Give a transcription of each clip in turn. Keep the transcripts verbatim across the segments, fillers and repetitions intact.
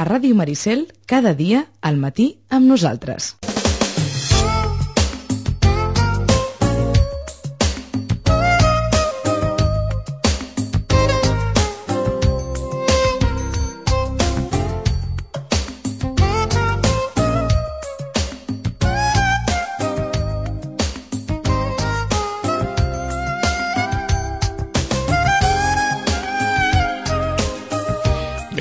a Ràdio Maricel cada dia al matí amb nosaltres.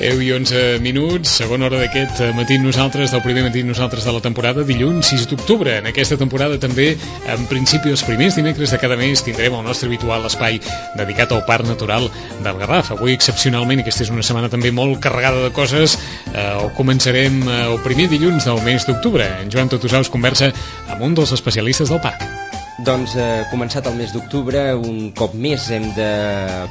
deu i onze minuts, segona hora d'aquest matí nosaltres, del primer matí nosaltres de la temporada, dilluns sis d'octubre. En aquesta temporada també, en principi els primers dimecres de cada mes, tindrem el nostre habitual espai dedicat al Parc Natural del Garraf. Avui, excepcionalment, aquesta és una setmana també molt carregada de coses, eh, començarem eh, el primer dilluns del mes d'octubre. En Joan Totosaus conversa amb un dels especialistes del parc. Doncs eh, començat el mes d'octubre, un cop més hem de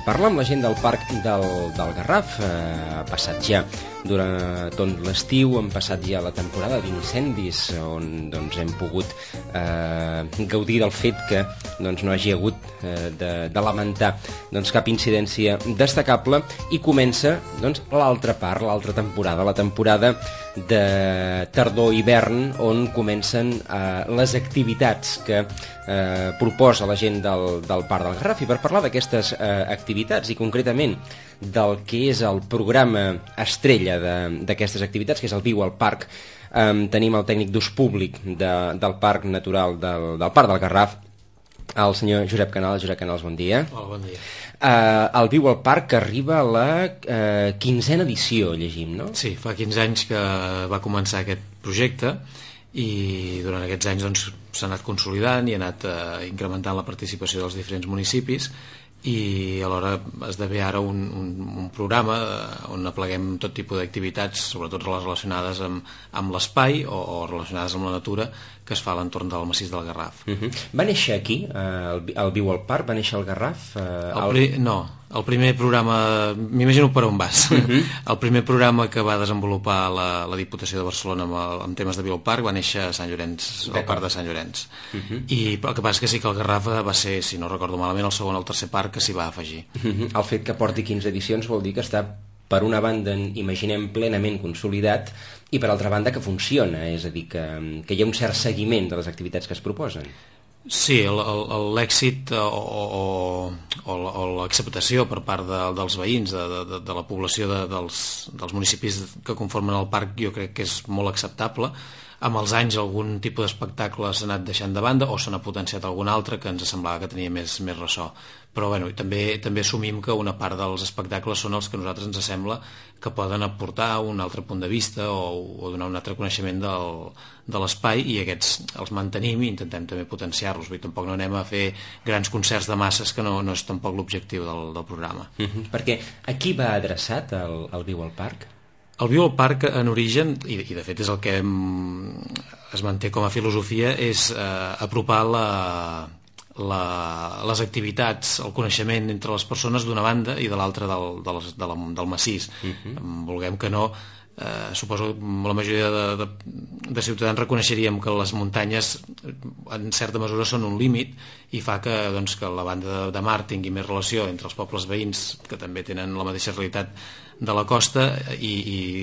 parlar amb la gent del Parc del, del Garraf. Eh, ha passat ja durant tot l'estiu, hem passat ja la temporada d'incendis, on doncs, hem pogut eh, gaudir del fet que doncs, no hagi hagut eh, de, de lamentar doncs, cap incidència destacable, i comença doncs, l'altra part, l'altra temporada, la temporada de tardor-hivern, on comencen eh, les activitats que eh, proposa la gent del, del Parc del Garraf. I per parlar d'aquestes eh, activitats, i concretament del que és el programa estrella d'aquestes activitats, que és el Viu al Parc, eh, tenim el tècnic d'ús públic de, del Parc Natural del, del Parc del Garraf, el senyor Josep Canals. Josep Canals, bon dia. Hola, bon dia. Uh, el Viu al Parc, que arriba a la uh, quinzena edició, llegim, no? Sí, fa quinze anys que va començar aquest projecte, i durant aquests anys doncs, s'ha anat consolidant i ha anat uh, incrementant la participació dels diferents municipis, i alhora esdevé ara un, un, un programa on apleguem tot tipus d'activitats, sobretot les relacionades amb, amb l'espai o, o relacionades amb la natura, que es fa a l'entorn del massís del Garraf. Uh -huh. Va néixer aquí, eh, el, el Viu al Parc, va néixer al Garraf? Eh, el pri... el... No, el primer programa, m'imagino per on vas. Uh -huh. El primer programa que va desenvolupar la, la Diputació de Barcelona amb, el, amb temes de Viu al Parc va néixer a Sant Llorenç, al Parc de Sant Llorenç. Uh -huh. I el que passa és que sí que el Garraf va ser, si no recordo malament, el segon o el tercer parc que s'hi va afegir. Uh -huh. El fet que porti quinze edicions vol dir que està, per una banda, imaginem, plenament consolidat, i per altra banda que funciona, és a dir, que, que hi ha un cert seguiment de les activitats que es proposen. Sí, l'èxit o, o, o, o l'acceptació per part de, dels veïns, de, de, de la població de, dels, dels municipis que conformen el parc, jo crec que és molt acceptable. Amb els anys algun tipus d'espectacle s'ha anat deixant de banda, o s'ha potenciat algun altre que ens semblava que tenia més, més ressò. Però bueno, també, també assumim que una part dels espectacles són els que a nosaltres ens sembla que poden aportar un altre punt de vista o, o donar un altre coneixement del, de l'espai, i aquests els mantenim i intentem també potenciar-los. Vull dir, tampoc no anem a fer grans concerts de masses, que no, no és tampoc l'objectiu del, del programa. Uh-huh. Perquè a qui va adreçat el, el Viu al Parc? El Viu al Parc, en origen, i, i de fet és el que es manté com a filosofia, és eh, apropar la... La, les activitats, el coneixement entre les persones d'una banda i de l'altra del, del, del, del massís. Uh-huh. Vulguem que no, eh, suposo que la majoria de, de, de ciutadans reconeixeríem que les muntanyes en certa mesura són un límit, i fa que, doncs, que la banda de, de mar tingui més relació entre els pobles veïns, que també tenen la mateixa realitat de la costa, i,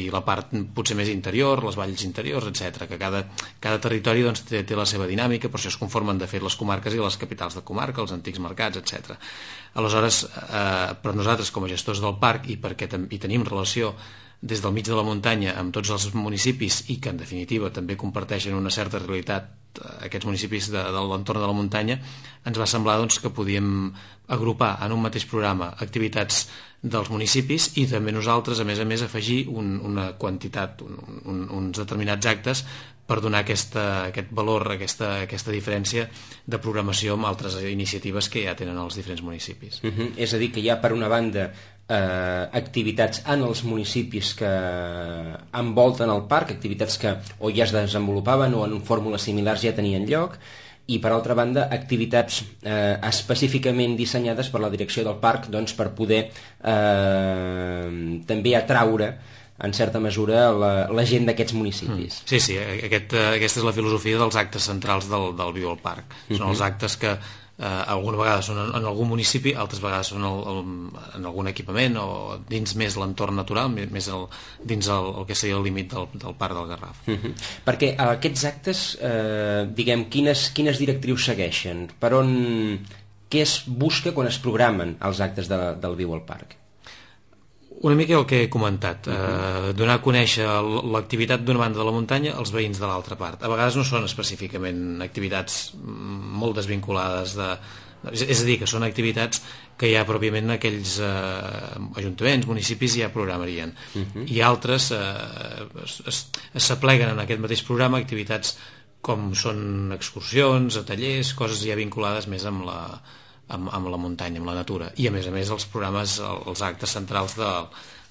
i la part potser més interior, les valls interiors, etcètera, que cada, cada territori doncs, té, té la seva dinàmica, per això es conformen de fet les comarques i les capitals de comarca, els antics mercats, etcètera. Aleshores, eh, per nosaltres com a gestors del parc, i perquè hi tenim relació des del mig de la muntanya amb tots els municipis, i que en definitiva també comparteixen una certa realitat aquests municipis de, de l'entorn de la muntanya, ens va semblar doncs, que podíem agrupar en un mateix programa activitats dels municipis, i també nosaltres, a més a més, afegir un, una quantitat, un, un, uns determinats actes per donar aquesta, aquest valor, aquesta, aquesta diferència de programació amb altres iniciatives que ja tenen els diferents municipis. Uh-huh. És a dir, que hi ha per una banda eh, activitats en els municipis que envolten el parc, activitats que o ja es desenvolupaven o en fórmules similars ja tenien lloc, i per altra banda activitats eh, específicament dissenyades per la direcció del parc, doncs, per poder eh, també atraure en certa mesura la, la gent d'aquests municipis. Sí, sí, aquest, aquesta és la filosofia dels actes centrals del, del Viu al Parc. Són uh-huh. els actes que Eh, alguna vegada són en, en algun municipi, altres vegades són el, el, en algun equipament o dins més l'entorn natural, més el, dins el, el que seria el límit del, del Parc del Garraf. Uh-huh. Perquè aquests actes, eh, diguem, quines, quines directrius segueixen? Per on, què es busca quan es programen els actes de, del Viu al Parc? Una mica el que he comentat, uh-huh. eh, donar a conèixer l'activitat d'una banda de la muntanya als veïns de l'altra part. A vegades no són específicament activitats molt desvinculades de... És a dir, que són activitats que ja pròpiament aquells eh, ajuntaments, municipis ja programarien. Uh-huh. I altres eh, s'apleguen en aquest mateix programa activitats com són excursions, tallers, coses ja vinculades més amb la... Amb, amb la muntanya, amb la natura, i a més a més els programes, els actes centrals de,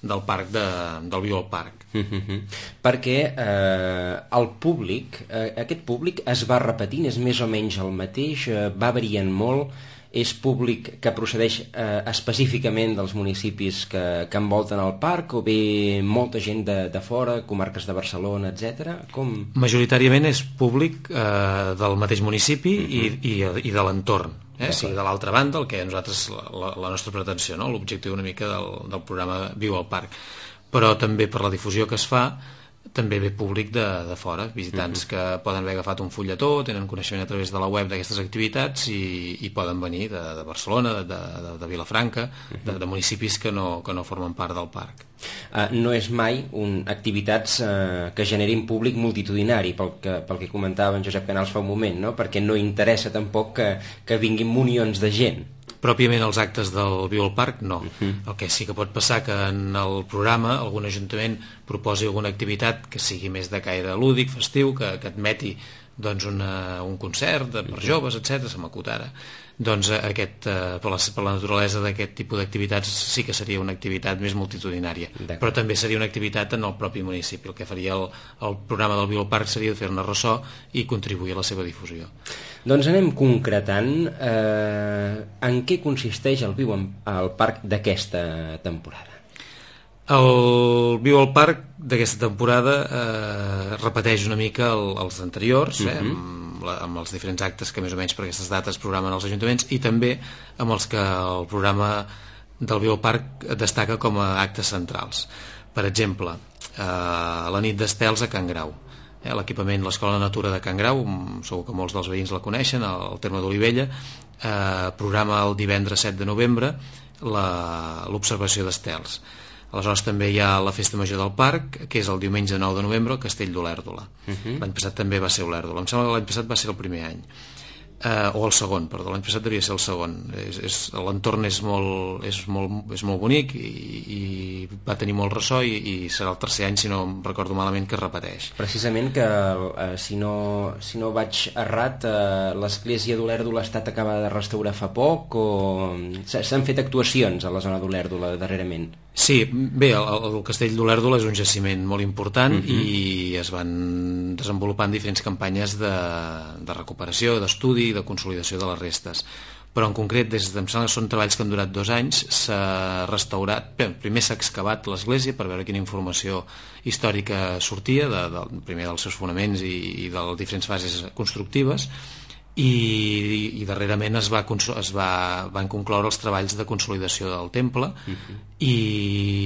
del parc de, del Viu al Parc. Mm-hmm. Perquè eh, el públic, eh, aquest públic es va repetint, és més o menys el mateix, eh, va variant molt, és públic que procedeix eh, específicament dels municipis que, que envolten el parc, o bé molta gent de, de fora, comarques de Barcelona, etcètera? Com... Majoritàriament és públic eh, del mateix municipi mm-hmm. i, i, i de l'entorn. Eh? Sí, de l'altra banda, el que nosaltres, la, la nostra pretensió, no? L'objectiu una mica del, del programa Viu al Parc, però també per la difusió que es fa també ve públic de, de fora, visitants uh-huh. que poden haver agafat un fulletó, tenen coneixement a través de la web d'aquestes activitats i, i poden venir de, de Barcelona, de, de, de Vilafranca, uh-huh. de, de municipis que no, que no formen part del parc. Uh, no és mai un, activitats uh, que generin públic multitudinari, pel que, pel que comentava en Josep Canals fa un moment, no? Perquè no interessa tampoc que, que vinguin munions de gent. Pròpiament els actes del Viu al Parc, no. Uh-huh. El que sí que pot passar que en el programa algun ajuntament proposi alguna activitat que sigui més de caire lúdic, festiu, que, que admeti doncs, una, un concert de, per joves, etcètera, se m'acut ara. Doncs aquest, eh, per, la, per la naturalesa d'aquest tipus d'activitats sí que seria una activitat més multitudinària. Però també seria una activitat en el propi municipi. El que faria el, el programa del Viu al Parc seria fer-ne ressò i contribuir a la seva difusió. Doncs anem concretant eh, en què consisteix el Viu al Parc d'aquesta temporada. El Viu al Parc d'aquesta temporada eh, repeteix una mica el, els anteriors, eh, uh-huh. amb, la, amb els diferents actes que més o menys per aquestes dates programen els ajuntaments i també amb els que el programa del Viu al Parc destaca com a actes centrals. Per exemple, eh, la nit d'estels a Can Grau. Eh, l'equipament, l'Escola de Natura de Can Grau, segur que molts dels veïns la coneixen, al terme d'Olivella, eh, programa el divendres set de novembre l'observació d'estels. Aleshores també hi ha la Festa Major del Parc, que és el diumenge nou de novembre al Castell d'Olèrdola. Uh-huh. L'any passat també va ser Olèrdola. Em sembla que l'any passat va ser el primer any. Uh, o el segon, perdó, l'any passat devia ser el segon. És, és, l'entorn és molt, és, molt, és molt bonic i, i va tenir molt ressò i, i serà el tercer any, si no em recordo malament, que es repeteix. Precisament que, eh, si, no, si no vaig errat, eh, l'església d'Olèrdola ha estat acabada de restaurar fa poc o s'han fet actuacions a la zona d'Olèrdola darrerament? Sí, bé, el, el Castell d'Olèrdola és un jaciment molt important uh-huh. i es van desenvolupant diferents campanyes de, de recuperació, d'estudi i de consolidació de les restes. Però en concret, des de, em sembla que són treballs que han durat dos anys, s'ha restaurat, bé, primer s'ha excavat l'església per veure quina informació històrica sortia, de, de, primer dels seus fonaments i, i de les diferents fases constructives, i, i darrerament es, va, es va, van concloure els treballs de consolidació del temple uh-huh. i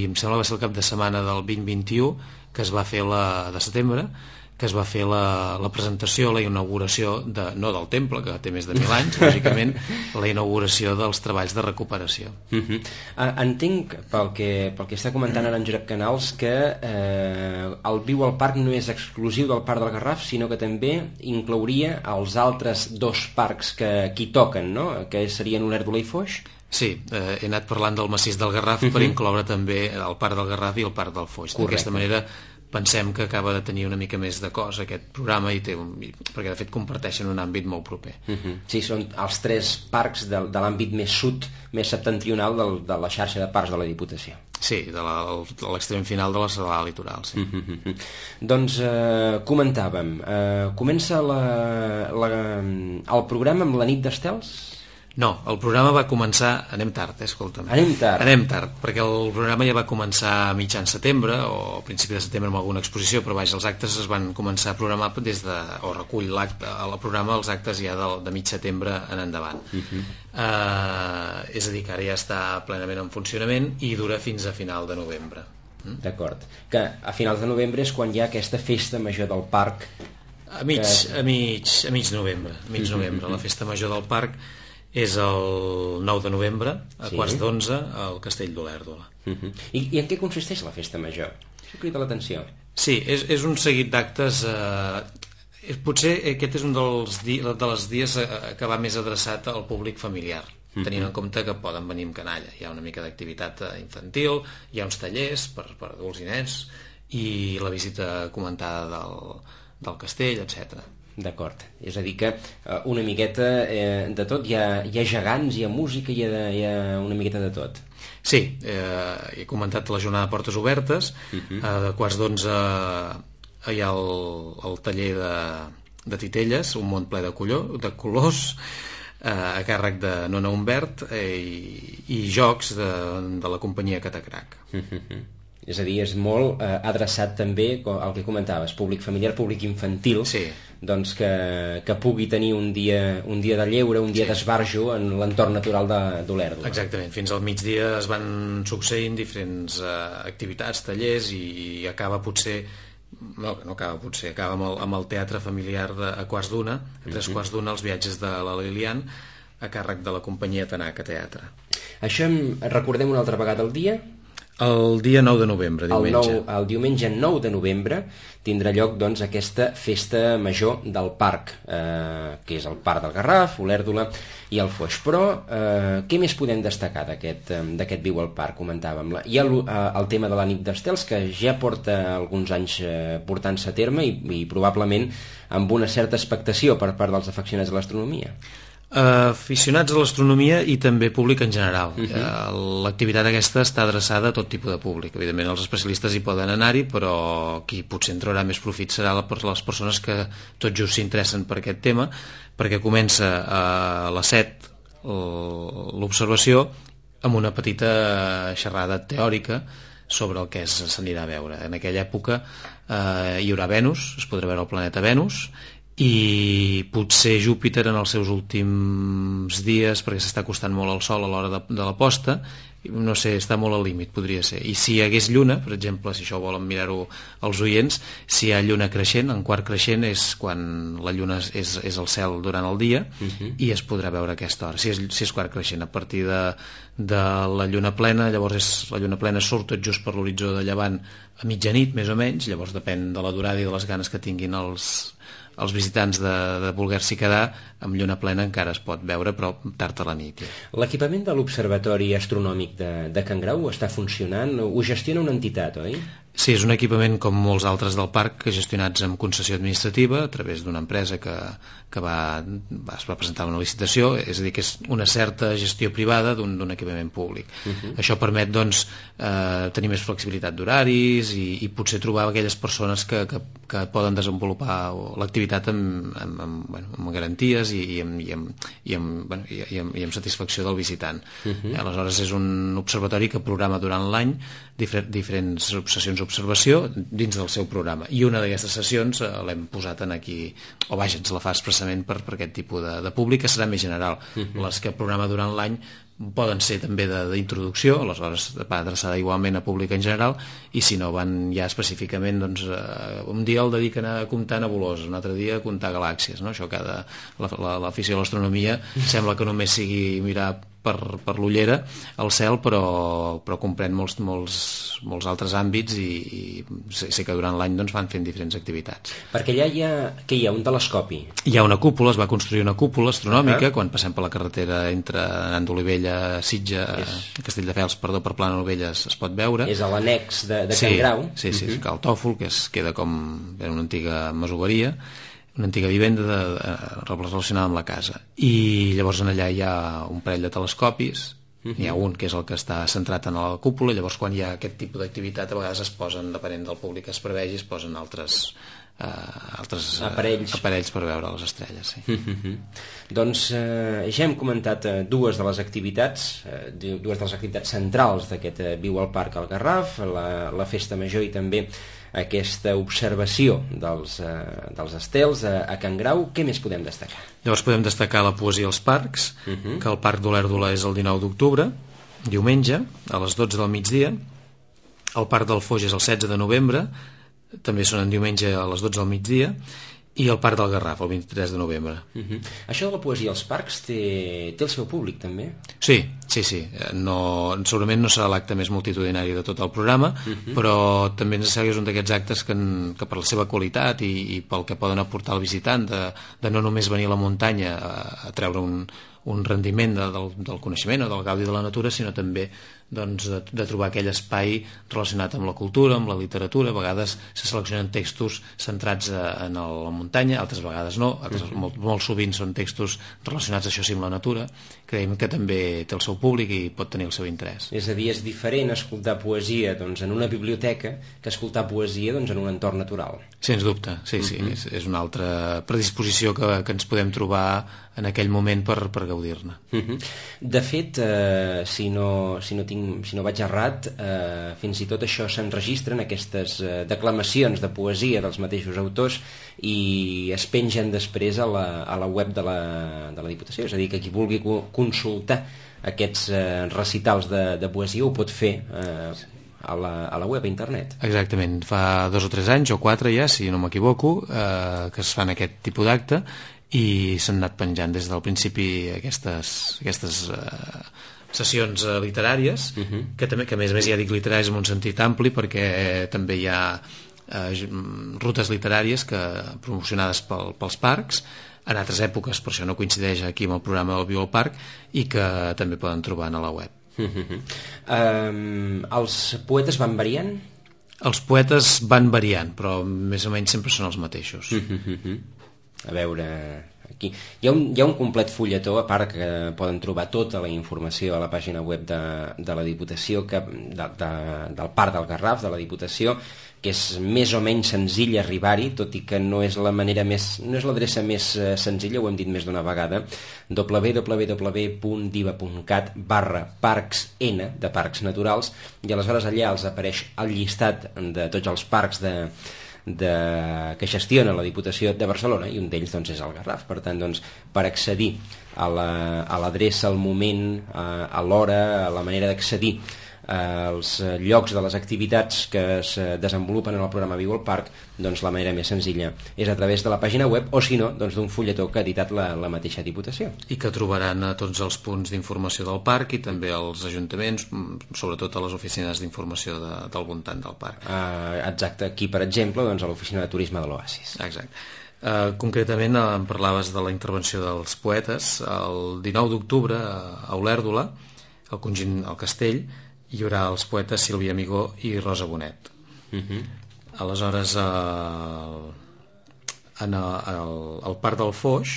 em sembla que va ser el cap de setmana del vint vint-i-u que es va fer la, de setembre que es va fer la, la presentació, la inauguració de, no del temple, que té més de mil anys lògicament, la inauguració dels treballs de recuperació. Uh-huh. uh, Entenc pel que, pel que està comentant ara en Josep Canals que eh, el Viu al Parc no és exclusiu del Parc del Garraf, sinó que també inclouria els altres dos parcs que aquí toquen, no? Que serien Olèrdola i Foix. Sí, eh, he anat parlant del massís del Garraf uh-huh. per incloure també el Parc del Garraf i el Parc del Foix. D'aquesta manera pensem que acaba de tenir una mica més de cos aquest programa i té un, perquè de fet comparteixen un àmbit molt proper. Uh-huh. Sí, són els tres parcs de, de l'àmbit més sud, més septentrional del, de la xarxa de parcs de la Diputació. Sí, de l'extrem final de la serralada litoral, sí. Uh-huh. Doncs eh, comentàvem, eh, comença la, la, el programa amb la nit d'estels? No, el programa va començar... Anem tard, eh, escolta'm. Anem tard. Anem tard, perquè el programa ja va començar a mitjan setembre, o a principi de setembre amb alguna exposició, però vaja, els actes es van començar a programar des de... o recull l'acte, el programa, els actes ja de, de mig setembre en endavant. Uh-huh. uh, és a dir, que ara ja està plenament en funcionament i dura fins a final de novembre. Mm? D'acord. Que a finals de novembre és quan hi ha aquesta festa major del parc. A mig, que... a mig, a mig novembre, a mig novembre. La festa major del parc és el nou de novembre, a sí. quarts d'onze, al Castell d'Olèrdola. Uh-huh. I, I en què consisteix la festa major? Això crida l'atenció. Sí, és, és un seguit d'actes... Eh, potser aquest és un dels, di, de les dies que va més adreçat al públic familiar, uh-huh. tenint en compte que poden venir amb canalla. Hi ha una mica d'activitat infantil, hi ha uns tallers per, per adults i nens, i la visita comentada del, del castell, etcètera. D'acord, és a dir que uh, una miqueta eh, de tot, hi ha, hi ha gegants, hi ha música, hi ha, hi ha una miqueta de tot. Sí, eh, he comentat la jornada de portes obertes, uh-huh. eh, de quarts d'onze hi ha el, el taller de, de titelles, un món ple de, colló, de colors, eh, a càrrec de Nona Humbert, eh, i, i jocs de, de la companyia Catacrac. Uh-huh. És a dir, és molt eh, adreçat també al que comentaves, públic familiar, públic infantil, sí. doncs que, que pugui tenir un dia, un dia de lleure, un dia sí. d'esbarjo en l'entorn natural d'Olèrdola. Exactament, fins al migdia es van succeint diferents eh, activitats, tallers, i, i acaba potser... No, no acaba potser, acaba amb el, amb el teatre familiar de, a quarts d'una, a tres uh-huh. quarts d'una, els viatges de la Lilian, a càrrec de la companyia Tanaka Teatre. Això recordem una altra vegada el dia? El dia nou de novembre, diumenge. El, nou, el diumenge nou de novembre tindrà lloc doncs, aquesta festa major del parc, eh, que és el Parc del Garraf, Olèrdola i el Foix. Però eh, què més podem destacar d'aquest d'aquest Viu al Parc, comentàvem? Hi ha el, el tema de la nit d'estels, que ja porta alguns anys eh, portant-se a terme i, i probablement amb una certa expectació per part dels afeccionats a l'astronomia. Uh, aficionats a l'astronomia i també públic en general. Uh-huh. uh, L'activitat aquesta està adreçada a tot tipus de públic. Evidentment els especialistes hi poden anar-hi, però qui potser en traurà més profit serà la, les persones que tot just s'interessen per aquest tema, perquè comença a les set l'observació amb una petita xerrada teòrica sobre el que s'anirà a veure. En aquella època uh, hi haurà Venus, es podrà veure el planeta Venus, i potser Júpiter en els seus últims dies, perquè s'està acostant molt al Sol a l'hora de, de la posta, no sé, està molt al límit, podria ser. I si hi hagués lluna, per exemple, si això volen mirar-ho els oients, si hi ha lluna creixent, en quart creixent és quan la lluna és, és al cel durant el dia, uh-huh. i es podrà veure a aquesta hora, si és, si és quart creixent. A partir de, de la lluna plena, llavors és, la lluna plena surt tot just per l'horitzó de llevant a mitjanit, més o menys, llavors depèn de la durada i de les ganes que tinguin els els visitants de, de voler-s'hi quedar, amb lluna plena encara es pot veure, però tard a la nit. Ja. L'equipament de l'Observatori Astronòmic de, de Can Grau està funcionant? Ho gestiona una entitat, oi? Sí, és un equipament com molts altres del parc, gestionats amb concessió administrativa a través d'una empresa que, que va, va, es va presentar una licitació, és a dir, que és una certa gestió privada d'un equipament públic. Uh-huh. Això permet doncs, eh, tenir més flexibilitat d'horaris i, i potser trobar aquelles persones que, que, que poden desenvolupar l'activitat amb, amb, amb, bueno, amb garanties i, i, amb, i, amb, i, amb, bueno, i, i, amb, i amb satisfacció del visitant. Uh-huh. Aleshores és un observatori que programa durant l'any difer diferents sessions d'observació dins del seu programa, i una d'aquestes sessions eh, l'hem posat en aquí, o vaja, ens la fa expressament per, per aquest tipus de, de públic, que serà més general. Uh-huh. Les que programa durant l'any poden ser també d'introducció, aleshores va adreçada igualment a públic en general, i si no van ja específicament, doncs eh, un dia el dediquen a comptar nebuloses, un altre dia a comptar galàxies, no? Això cada l'afició a l'astronomia sembla que només sigui mirar per, per l'ullera al cel, però, però comprèn molts, molts, molts altres àmbits, i, i sé, sé que durant l'any doncs, van fent diferents activitats. Perquè allà hi ha, què hi ha, un telescopi? Hi ha una cúpula, es va construir una cúpula astronòmica, ah. quan passem per la carretera entre anant d'Olivella, Sitja, és... Castelldefels, perdó, per Plana Novelles es pot veure. És a l'annex de, de sí, Can Grau. Sí, sí, uh-huh. Cal Tòfol, que es queda com una antiga masoveria, una antiga vivenda de, de, relacionada amb la casa, i llavors en allà hi ha un parell de telescopis Uh-huh. N'hi ha un que és el que està centrat en la cúpula, llavors quan hi ha aquest tipus d'activitat a vegades es posen, depenent del públic que es prevegi, es posen altres, uh, altres aparells. Uh, aparells per veure les estrelles. Sí. Uh-huh. Doncs eh, ja hem comentat eh, dues de les activitats, eh, dues de les activitats centrals d'aquest eh, Viu al Parc al Garraf, la, la festa major i també aquesta observació dels, eh, dels estels a, a Can Grau. Què més podem destacar? Llavors podem destacar la poesia als parcs, uh-huh. que el Parc d'Olèrdola és el dinou d'octubre, diumenge, a les dotze del migdia. El Parc del Foix és el setze de novembre, també són en diumenge a les dotze del migdia, i el Parc del Garraf, el vint-i-tres de novembre. Uh-huh. Això de la poesia als parcs té, té el seu públic, també? Sí, sí, sí. No, segurament no serà l'acte més multitudinari de tot el programa, uh-huh. però també ens sembla que és un d'aquests actes que, en, que per la seva qualitat i, i pel que poden aportar al visitant, de, de no només venir a la muntanya a, a treure un, un rendiment de, del, del coneixement o del gaudi de la natura, sinó també doncs, de, de trobar aquell espai relacionat amb la cultura, amb la literatura. A vegades se seleccionen textos centrats a, en el, la muntanya, altres vegades no, altres, uh-huh. molt, molt sovint són textos relacionats això sí amb la natura. Creiem que també té el seu públic i pot tenir el seu interès. És a dir, és diferent escoltar poesia doncs, en una biblioteca que escoltar poesia doncs, en un entorn natural. Sens dubte, sí, sí, uh-huh. és, és una altra predisposició que, que ens podem trobar en aquell moment per, per gaudir-ne. Uh-huh. De fet, eh, si, no, si, no tinc, si no vaig errat, eh, fins i tot això s'enregistren, aquestes eh, declamacions de poesia dels mateixos autors, i es pengen després a la, a la web de la, de la Diputació. És a dir, que qui vulgui consultar aquests eh, recitals de, de poesia ho pot fer eh, a la, a la web, a internet. Exactament, fa dos o tres anys o quatre ja, si no m'equivoco, eh, que es fan aquest tipus d'acte, i s'han anat penjant des del principi aquestes, aquestes uh, sessions uh, literàries, uh-huh. que també, que a més a més ja dic literàries en un sentit ampli, perquè eh, també hi ha uh, rutes literàries que, promocionades pel, pels parcs, en altres èpoques, per això no coincideix aquí amb el programa del Viu al Parc, i que també poden trobar a la web. Uh-huh. um, els poetes van variant? Els poetes van variant, però més o menys sempre són els mateixos. Uh-huh. A veure, aquí hi ha, un, hi ha un complet fulletó, a part que poden trobar tota la informació a la pàgina web de, de la Diputació, que, de, de, del Parc del Garraf, de la Diputació, que és més o menys senzill arribar-hi, tot i que no és la manera més, no és l'adreça més eh, senzilla, ho hem dit més d'una vegada, w w w punt diva punt cat barra parcs n, de parcs naturals, i aleshores allà els apareix el llistat de tots els parcs de De, que gestiona la Diputació de Barcelona, i un d'ells doncs, és el Garraf. Per tant, doncs, per accedir a l'adreça, la, al moment, a, a l'hora, a la manera d'accedir als llocs de les activitats que es desenvolupen en el programa Viu al Parc, doncs la manera més senzilla és a través de la pàgina web, o si no, doncs d'un fulletó que ha editat la, la mateixa Diputació. I que trobaran a tots els punts d'informació del parc i també als ajuntaments, sobretot a les oficines d'informació de, del voltant del parc. Uh, exacte, aquí per exemple doncs, a l'oficina de turisme de l'Oasis. Exacte. Uh, concretament uh, em parlaves de la intervenció dels poetes. El dinou d'octubre a Olèrdola, al conjunt al Castell, hi haurà els poetes Sílvia Amigó i Rosa Bonet. Uh-huh. Aleshores, el, en el, el, el Parc del Foix,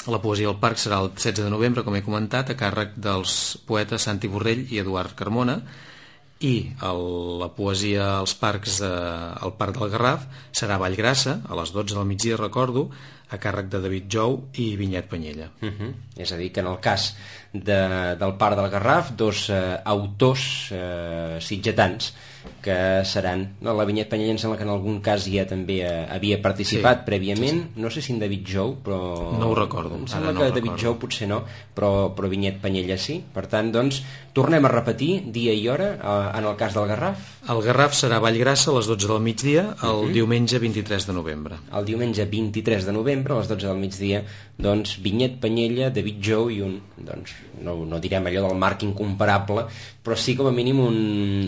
la poesia del parc serà el setze de novembre, com he comentat, a càrrec dels poetes Santi Borrell i Eduard Carmona, i el, la poesia als parcs de, al Parc del Garraf serà a Vallgrassa, a les dotze del migdia, recordo, a càrrec de David Jou i Vinyet Panyella. Uh-huh. És a dir, que en el cas de, del Parc del Garraf, dos eh, autors eh, sitgetans que seran... No, la Vinyet Panyella em sembla que en algun cas ja també eh, havia participat sí, prèviament, sí, sí. No sé si en David Jou, però... No ho recordo. Em sembla no que David Jou potser no, però, però Vinyet Panyella sí. Per tant, doncs, tornem a repetir dia i hora eh, en el cas del Garraf. El Garraf serà a Vallgrassa a les dotze del migdia, el uh-huh. diumenge vint-i-tres de novembre. El diumenge vint-i-tres de novembre, a les dotze del migdia, doncs, Vinyet Panyella, David Jou i un, doncs, no, no direm allò del marc incomparable, però sí com a mínim un,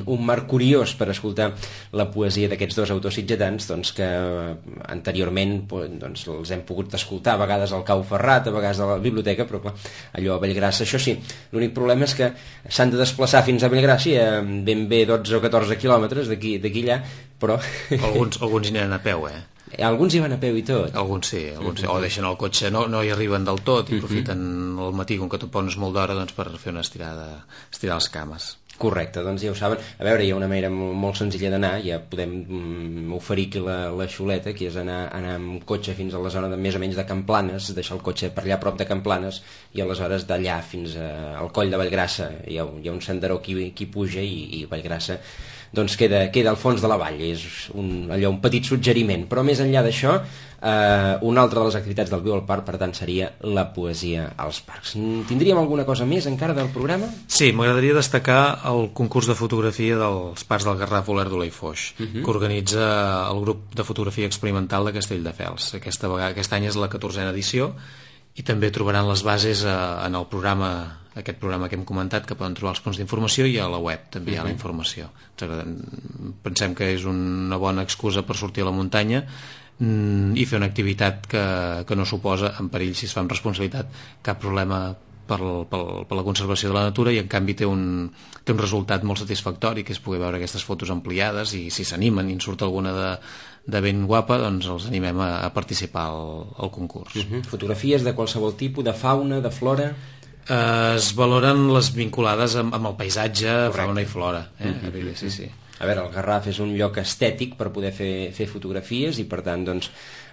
un marc curiós per escoltar la poesia d'aquests dos autors sitgetans, doncs, que anteriorment doncs, els hem pogut escoltar a vegades al Cau Ferrat, a vegades a la biblioteca, però clar, allò a Vallgrassa, això sí, l'únic problema és que s'han de desplaçar fins a Vallgrassa, ben bé dotze o catorze quilòmetres d'aquí allà, però... Alguns, alguns hi aniran a peu, eh? Alguns hi van a peu i tot. Alguns sí, alguns sí. O deixen el cotxe, no, no hi arriben del tot i aprofiten el matí, com que tu pones molt d'hora, doncs, per fer una estirada, estirar les cames. Correcte, doncs ja ho saben. A veure, hi ha una manera molt senzilla d'anar, ja podem mm, oferir aquí la, la xuleta, que és anar, anar amb cotxe fins a la zona de més o menys de Camplanes, deixar el cotxe per allà a prop de Camplanes, i aleshores d'allà fins a, al coll de Vallgrassa hi ha, hi ha un senderó qui, qui puja, i, i Vallgrassa doncs queda, queda al fons de la vall. És un, allò, un petit suggeriment, però més enllà d'això, eh, una altra de les activitats del Viu al Parc, per tant, seria la poesia als parcs. Tindríem alguna cosa més encara del programa? Sí, m'agradaria destacar el concurs de fotografia dels parcs del Garraf, Olèrdola i Foix, uh -huh. que organitza el grup de fotografia experimental de Castelldefels. Aquesta vegada, aquest any és la catorzena edició, i també trobaran les bases eh, en el programa, aquest programa que hem comentat, que poden trobar els punts d'informació, i a la web també hi ha la informació. Pensem que és una bona excusa per sortir a la muntanya i fer una activitat que, que no suposa, en perill, si es fa amb responsabilitat, cap problema per, per, per la conservació de la natura, i en canvi té un, té un resultat molt satisfactori, que és poder veure aquestes fotos ampliades, i si s'animen i en surt alguna de, de ben guapa, doncs els animem a, a participar al, al concurs. Uh-huh. Fotografies de qualsevol tipus, de fauna, de flora? Eh, es valoren les vinculades amb, amb el paisatge, correcte, fauna i flora. Eh? Uh-huh. Sí, sí. A veure, el Garraf és un lloc estètic per poder fer, fer fotografies, i per tant, doncs,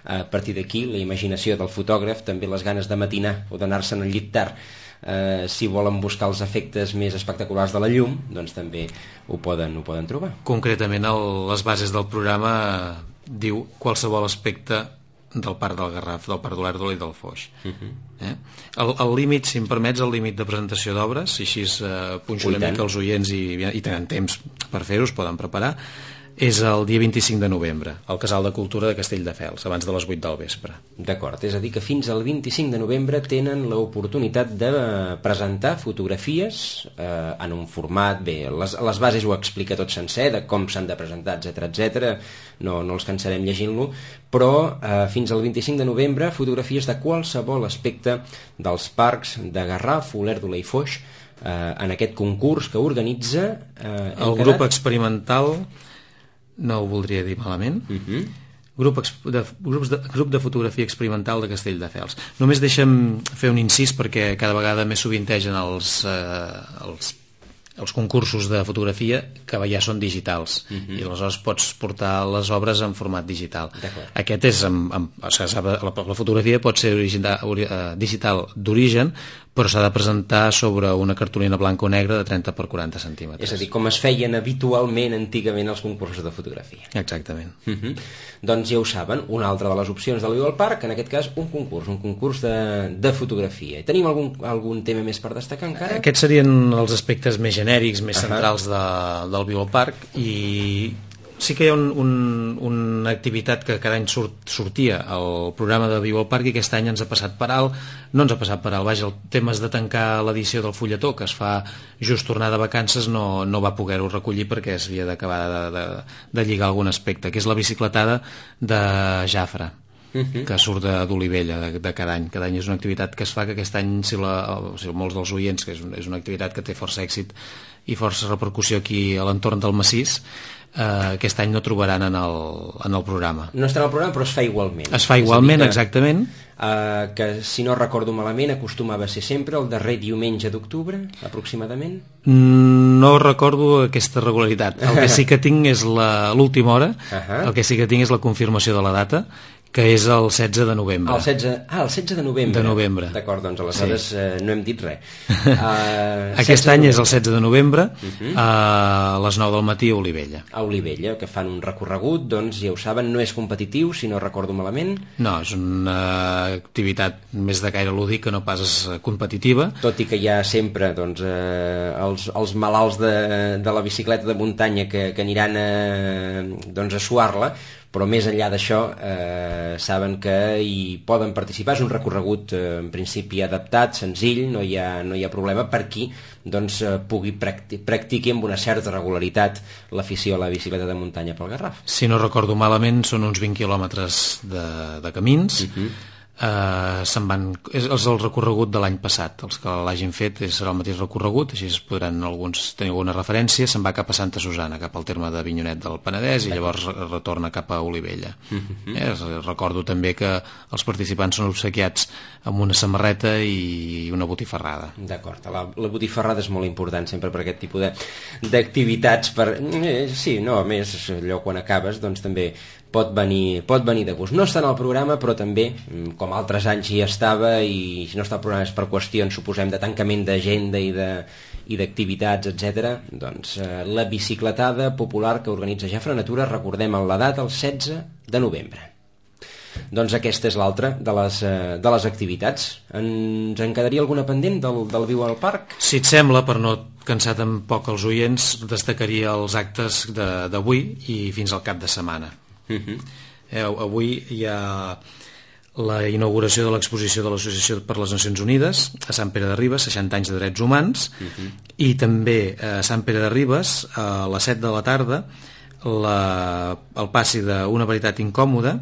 a partir d'aquí, la imaginació del fotògraf, també les ganes de matinar o d'anar-se'n al llit tard, eh, si volen buscar els efectes més espectaculars de la llum, doncs també ho poden, ho poden trobar. Concretament, el, les bases del programa diu qualsevol aspecte del Parc del Garraf, del Parc d'Olèrdola i del Foix. Uh-huh. eh? El, el límit, si em permets, el límit de presentació d'obres, i així eh, punxo una mica els oients i, i tenen temps per fer-ho, es poden preparar, és el dia vint-i-cinc de novembre, al Casal de Cultura de Castelldefels, abans de les vuit del vespre. D'acord, és a dir que fins al vint-i-cinc de novembre tenen l'oportunitat de presentar fotografies eh, en un format, bé, les, les bases ho explica tot sencer, de com s'han de presentar, etcètera, etcètera, no, no els cansarem llegint-lo, però eh, fins al vint-i-cinc de novembre fotografies de qualsevol aspecte dels parcs de Garraf, Olèrdola i Foix, eh, en aquest concurs que organitza eh, el grup quedat... experimental, no ho voldria dir malament, uh-huh. grup, de, grups de, grup de fotografia experimental de Castelldefels. Només deixa'm fer un incís, perquè cada vegada més sovintegen els, eh, els els concursos de fotografia que ja són digitals, uh-huh. i aleshores pots portar les obres en format digital. Aquest és amb, amb, o sigui, la, la fotografia pot ser original, uh, digital d'origen, però s'ha de presentar sobre una cartolina blanca o negra de trenta per quaranta centímetres. És a dir, com es feien habitualment antigament els concursos de fotografia. Exactament. Uh-huh. Doncs ja ho saben, una altra de les opcions del Viu al Parc, en aquest cas un concurs, un concurs de, de fotografia. I tenim algun, algun tema més per destacar encara? Aquests serien els aspectes més genèrics, més uh-huh. centrals de, del Viu al Parc, i sí que hi ha un, un, una activitat que cada any surt, sortia al programa de Viu al Parc, i aquest any ens ha passat per alt, no ens ha passat per alt, vaja, el tema és de tancar l'edició del fulletó, que es fa just tornar de vacances, no, no va poder-ho recollir perquè es havia d'acabar de, de, de lligar algun aspecte, que és la bicicletada de Jafre, uh-huh. que surt d'Olivella de, de cada any. Cada any és una activitat que es fa, que aquest any, si, la, o sigui, molts dels oients, que és, és una activitat que té força èxit i força repercussió aquí a l'entorn del massís, Uh, aquest any no trobaran en el, en el programa. No estarà en el programa, però es fa igualment. Es fa igualment, que, exactament. Uh, que, si no recordo malament, acostumava a ser sempre el darrer diumenge d'octubre, aproximadament? No recordo aquesta regularitat. El que sí que tinc és l'última hora, uh-huh. el que sí que tinc és la confirmació de la data, que és el setze de novembre. El setze, ah, el setze de novembre. De novembre. D'acord, doncs aleshores sí. eh, no hem dit res. Uh, Aquest any és el setze de novembre, uh-huh. a les nou del matí a Olivella. A Olivella, que fan un recorregut, doncs ja ho saben, no és competitiu, si no recordo malament. No, és una activitat més de caire lúdic, que no pas competitiva. Tot i que hi ha sempre doncs, eh, els, els malalts de, de la bicicleta de muntanya que, que aniran a, doncs, a suar-la, però més enllà d'això eh, saben que hi poden participar. És un recorregut eh, en principi adaptat, senzill, no hi ha, no hi ha problema per qui doncs, eh, pugui practi practiqui amb una certa regularitat l'afició a la bicicleta de muntanya pel Garraf. Si no recordo malament, són uns vint quilòmetres de, de camins, uh-huh. Uh, se'n van, és, és el recorregut de l'any passat. Els que l'hagin fet és, serà el mateix recorregut, així es podran alguns tenir alguna referència. Se'n va cap a Santa Susana, cap al terme d'Avinyonet del Penedès, i llavors retorna cap a Olivella. Mm-hmm. eh, recordo també que els participants són obsequiats amb una samarreta i una botifarrada. D'acord, la, la botifarrada és molt important sempre per aquest tipus d'activitats. Per... Eh, sí, no, a més, allò quan acabes doncs també pot venir, pot venir de gust. No està en el programa, però també, com altres anys hi estava, i si no està al programa és per qüestions, suposem, de tancament d'agenda i de i d'activitats, etcètera. Doncs eh, la bicicletada popular que organitza Jafre Natura, recordem la data, el setze de novembre. Doncs aquesta és l'altra de, les, eh, de les activitats. Ens en quedaria alguna pendent del, del Viu al Parc? Si et sembla, per no cansar tampoc els oients, destacaria els actes d'avui i fins al cap de setmana. Uh-huh. eh, avui hi ha la inauguració de l'exposició de l'Associació per les Nacions Unides a Sant Pere de Ribes, seixanta anys de drets humans. Uh-huh. I també a Sant Pere de Ribes a les set de la tarda la, el passi d'Una veritat incòmoda,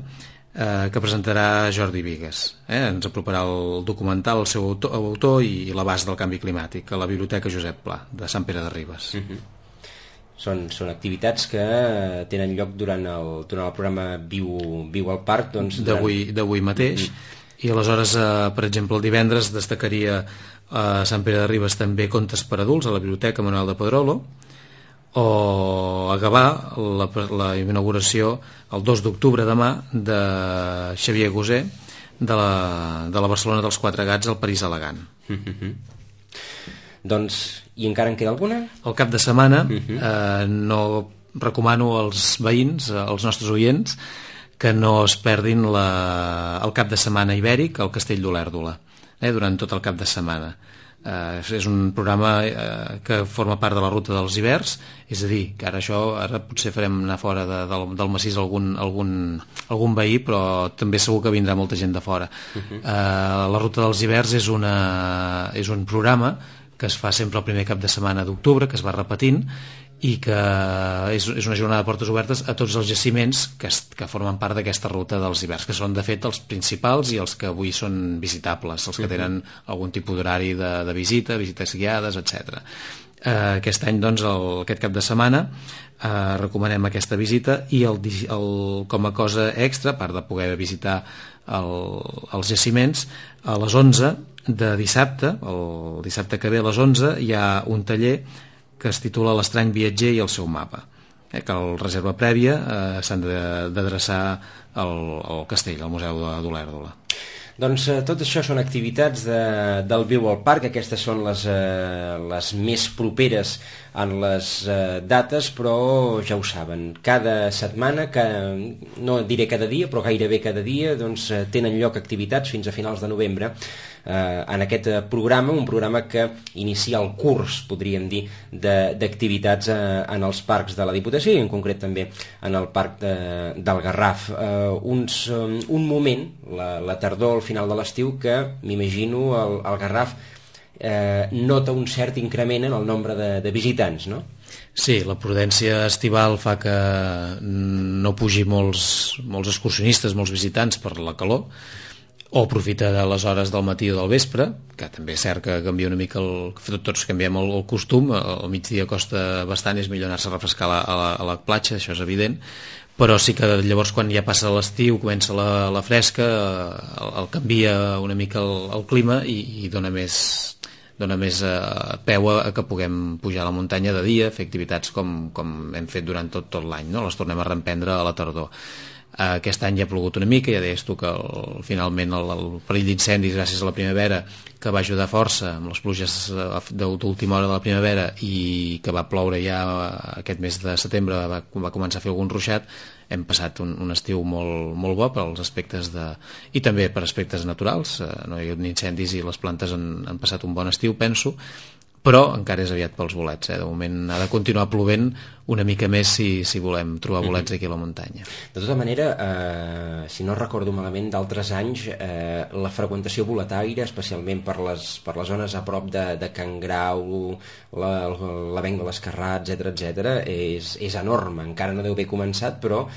eh, que presentarà Jordi Bigues. eh? Ens aproparà el documental, el seu autor, autor i l'abast del canvi climàtic a la Biblioteca Josep Pla de Sant Pere de Ribes. Uh-huh. Són, són activitats que tenen lloc durant el, durant el programa Viu, Viu al Parc, doncs, d'avui d'avui mateix. Mm. I aleshores, eh, per exemple, el divendres destacaria a Sant Pere de Ribes també Contes per adults a la Biblioteca Manuel de Pedrolo, o a Gavà la, la inauguració el dos d'octubre demà de Xavier Gosé de la, de la Barcelona dels Quatre Gats al París elegant. Mm-hmm. Doncs, i encara en queda alguna? El cap de setmana uh-huh. eh, no recomano als veïns, als nostres oients, que no es perdin la, el cap de setmana ibèric al Castell d'Olèrdola, eh, durant tot el cap de setmana. Eh, és un programa eh, que forma part de la ruta dels hiverns, és a dir, que ara això ara potser farem anar fora de, del, del massís algun, algun, algun veí, però també segur que vindrà molta gent de fora. Uh-huh. eh, la ruta dels hiverns és, una, és un programa que es fa sempre el primer cap de setmana d'octubre, que es va repetint, i que és, és una jornada de portes obertes a tots els jaciments que, es, que formen part d'aquesta ruta dels hiverns, que són de fet els principals i els que avui són visitables, els que tenen algun tipus d'horari de, de visita, visites guiades, etcètera. Eh, aquest any, doncs, el, aquest cap de setmana eh, recomanem aquesta visita, i el, el, com a cosa extra, a part de poder visitar el, els jaciments, a les onze de dissabte, el dissabte que ve a les onze, hi ha un taller que es titula L'estrany viatger i el seu mapa, eh, que el reserva prèvia eh, s'han d'adreçar al, al castell, al Museu d'Olèrdola. Doncs eh, tot això són activitats de, del Viu al Parc. Aquestes són les, eh, les més properes en les eh, dates, però ja ho saben, cada setmana, que, no diré cada dia, però gairebé cada dia, doncs, eh, tenen lloc activitats fins a finals de novembre eh, en aquest programa, un programa que inicia el curs, podríem dir, d'activitats eh, en els parcs de la Diputació, i en concret també en el parc de, del Garraf. Eh, uns, um, un moment, la, la tardor, al final de l'estiu, que m'imagino el, el Garraf eh, nota un cert increment en el nombre de, de visitants, no? Sí, la prudència estival fa que no pugi molts, molts excursionistes, molts visitants per la calor, o aprofita de les hores del matí o del vespre, que també és cert que canvia una mica el, tots canviem el, el costum, al migdia costa bastant, és millor anar-se a refrescar a la, a la, a la platja, això és evident, però sí que llavors quan ja passa l'estiu, comença la, la fresca, el, el canvia una mica el, el clima i, i dona més, dona més eh, peu a, a que puguem pujar a la muntanya de dia, fer activitats com, com hem fet durant tot, tot l'any, no? Les tornem a reemprendre a la tardor. Aquest any ja ha plogut una mica, ja deies tu que el, finalment el, el perill d'incendis gràcies a la primavera, que va ajudar força amb les pluges d'última hora de la primavera, i que va ploure ja aquest mes de setembre, va, va començar a fer algun ruixat. Hem passat un, un estiu molt, molt bo per als aspectes de... i també per aspectes naturals, no hi ha hagut incendis i les plantes han, han passat un bon estiu, penso, però encara és aviat pels bolets, eh? De moment ha de continuar plovent una mica més si, si volem trobar bolets aquí a la muntanya. De tota manera, eh, si no recordo malament, d'altres anys eh, la freqüentació boletaire, especialment per les, per les zones a prop de, de Can Grau, la, la Venc de l'Escarrat, etcètera, etcètera, és, és enorme. Encara no deu haver començat, però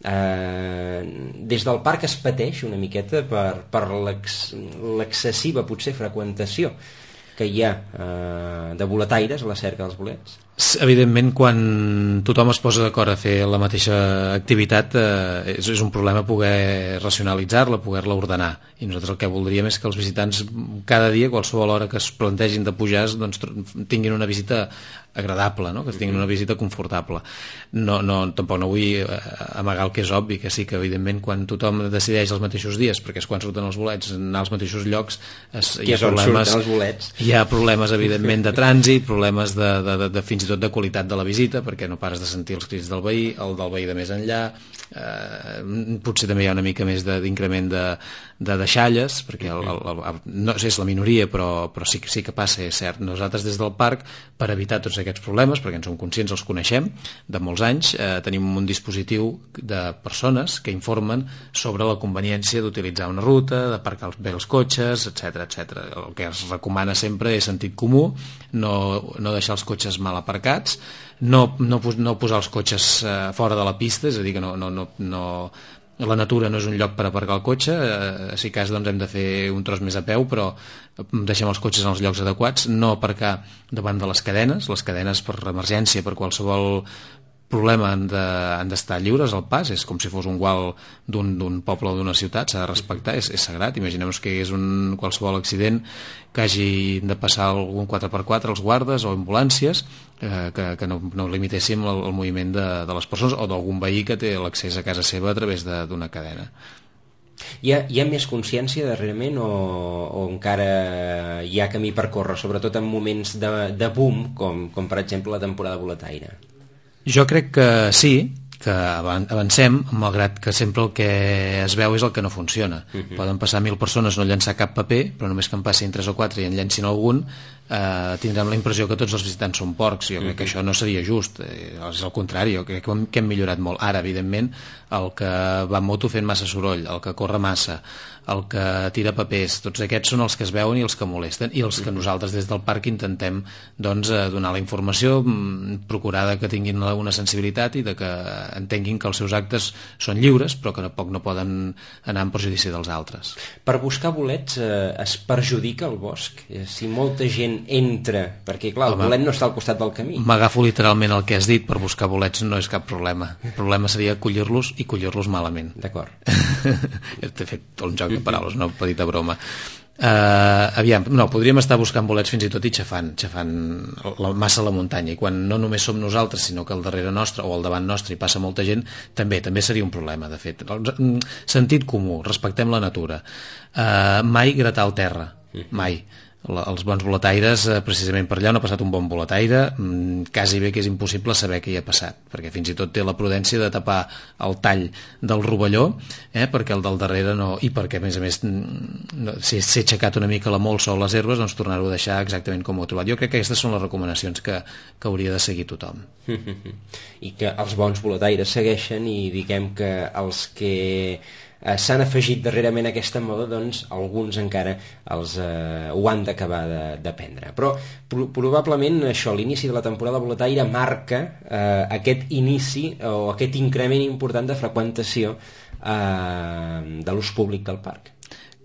Eh, des del parc es pateix una miqueta per, per l'excessiva potser freqüentació que hi ha eh, de boletaires a la cerca dels bolets. Evidentment, quan tothom es posa d'acord a fer la mateixa activitat, eh, és, és un problema poder racionalitzar-la, poder-la ordenar, i nosaltres el que voldríem és que els visitants cada dia, qualsevol hora que es plantegin de pujar, doncs, tinguin una visita agradable, no? Que tinguin una visita confortable. No, no, tampoc no vull amagar el que és obvi, que sí que evidentment quan tothom decideix els mateixos dies, perquè és quan surten els bolets, anar als mateixos llocs, es, hi ha problemes, els bolets? Hi ha problemes evidentment de trànsit, problemes de, de, de, de fins i tot de qualitat de la visita, perquè no pares de sentir els crits del veí, el del veí de més enllà, eh, potser també hi ha una mica més d'increment de, de deixalles, perquè el, el, el, no és la minoria, però, però sí, sí que passa, és cert. Nosaltres des del parc, per evitar tots aquests problemes, perquè en som conscients, els coneixem de molts anys, eh, tenim un dispositiu de persones que informen sobre la conveniència d'utilitzar una ruta, d'aparcar bé els cotxes, etcètera, etcètera. El que es recomana sempre és sentit comú, no, no deixar els cotxes mal aparcats, no, no, no posar els cotxes eh, fora de la pista, és a dir, que no, no, no, no la natura no és un lloc per aparcar el cotxe, eh, si cas doncs hem de fer un tros més a peu, però deixem els cotxes en els llocs adequats, no aparcar davant de les cadenes, les cadenes per emergència, per qualsevol problema han d'estar de, lliures al pas, és com si fos un gual d'un poble o d'una ciutat, s'ha de respectar, és, és sagrat. Imaginem-nos que hi hagués un, qualsevol accident que hagi de passar algun quatre per quatre els guardes o ambulàncies, eh, que, que no, no limitéssim el, el moviment de, de les persones o d'algun veí que té l'accés a casa seva a través d'una cadena. Hi ha, hi ha més consciència darrerament o, o encara hi ha camí per córrer, sobretot en moments de, de boom, com, com per exemple la temporada boletaire? Jo crec que sí, que avancem, malgrat que sempre el que es veu és el que no funciona. Uh-huh. Poden passar mil persones, no llançar cap paper, però només que en passin tres o quatre i en llancin algun, eh, tindrem la impressió que tots els visitants són porcs. Jo uh-huh. crec que això no seria just, eh, és el contrari, jo crec que hem, que hem millorat molt. Ara, evidentment, el que va en moto fent massa soroll, el que corre massa, el que tira papers, tots aquests són els que es veuen i els que molesten, i els que nosaltres des del parc intentem doncs, donar la informació, procurar que tinguin una sensibilitat i de que entenguin que els seus actes són lliures, però que tampoc no poden anar en perjudici dels altres. Per buscar bolets eh, es perjudica el bosc? Si molta gent entra, perquè clar, el Home, bolet no està al costat del camí. M'agafo literalment el que has dit, per buscar bolets no és cap problema. El problema seria collir-los i collir-los malament. D'acord. He fet un joc de paraules, una petita broma. Uh, aviam, no, podríem estar buscant bolets fins i tot i xafant, xafant la, massa a la muntanya, i quan no només som nosaltres sinó que al darrere nostre o al davant nostre hi passa molta gent, també també seria un problema, de fet. Sentit comú, respectem la natura, uh, mai gratar el terra, mai. La, els bons boletaires, eh, precisament per allà on ha passat un bon boletaire, mmm, quasi bé que és impossible saber què hi ha passat, perquè fins i tot té la prudència de tapar el tall del rovelló, eh, perquè el del darrere no, i perquè a més a més no, si s'ha aixecat una mica la molsa o les herbes, doncs tornar-ho a deixar exactament com ho ha trobat. Jo crec que aquestes són les recomanacions que, que hauria de seguir tothom. I que els bons boletaires segueixen, i diguem que els que Eh, s'han afegit darrerament a aquesta moda, doncs alguns encara els, eh, ho han d'acabar d'aprendre. Però pro probablement això, l'inici de la temporada boletaire marca eh, aquest inici o aquest increment important de freqüentació eh, de l'ús públic del parc.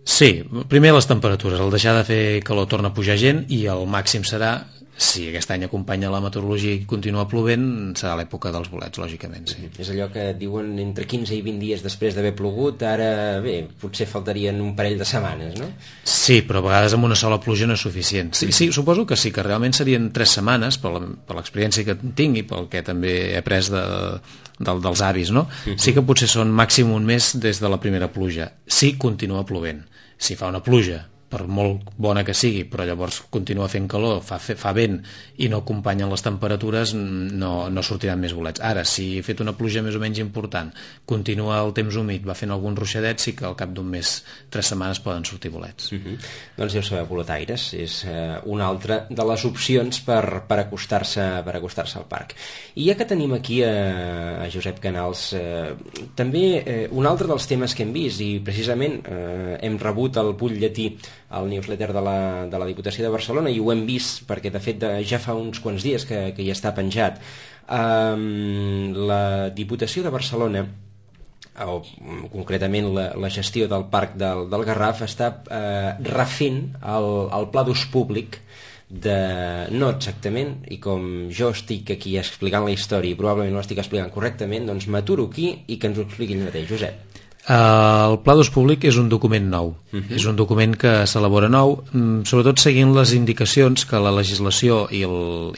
Sí, primer les temperatures, el deixar de fer calor torna a pujar gent, i el màxim serà, si aquest any acompanya la meteorologia i continua plovent, serà l'època dels bolets, lògicament, sí. És allò que diuen entre quinze i vint dies després d'haver plogut, ara, bé, potser faltarien un parell de setmanes, no? Sí, però a vegades amb una sola pluja no és suficient. Sí, sí, suposo que sí, que realment serien tres setmanes, per l'experiència que tinc i pel que també he après de, de, dels avis, no? Sí que potser són màxim un mes des de la primera pluja. Sí, continua plovent. Si fa una pluja, per molt bona que sigui, però llavors continua fent calor, fa, fa vent i no acompanyen les temperatures, no, no sortiran més bolets. Ara, si he fet una pluja més o menys important, continua el temps humit, va fent algun ruixadet, sí que al cap d'un mes, tres setmanes poden sortir bolets. Uh -huh. Doncs ja ho sabeu, boletaires és eh, una altra de les opcions per, per acostar-se per acostar-se al parc. I ja que tenim aquí a, a Josep Canals, eh, també eh, un altre dels temes que hem vist, i precisament eh, hem rebut el butlletí al newsletter de la, de la Diputació de Barcelona, i ho hem vist perquè de fet ja fa uns quants dies que, que hi està penjat. Um, la Diputació de Barcelona o concretament la, la gestió del parc del, del Garraf, està eh, refent el, el pla d'ús públic de, no exactament, i com jo estic aquí explicant la història i probablement no l'estic explicant correctament, doncs m'aturo aquí i que ens ho expliqui ell mateix. Josep. El Pla d'Ús Públic és un document nou, uh-huh. és un document que s'elabora nou, sobretot seguint les indicacions que la legislació i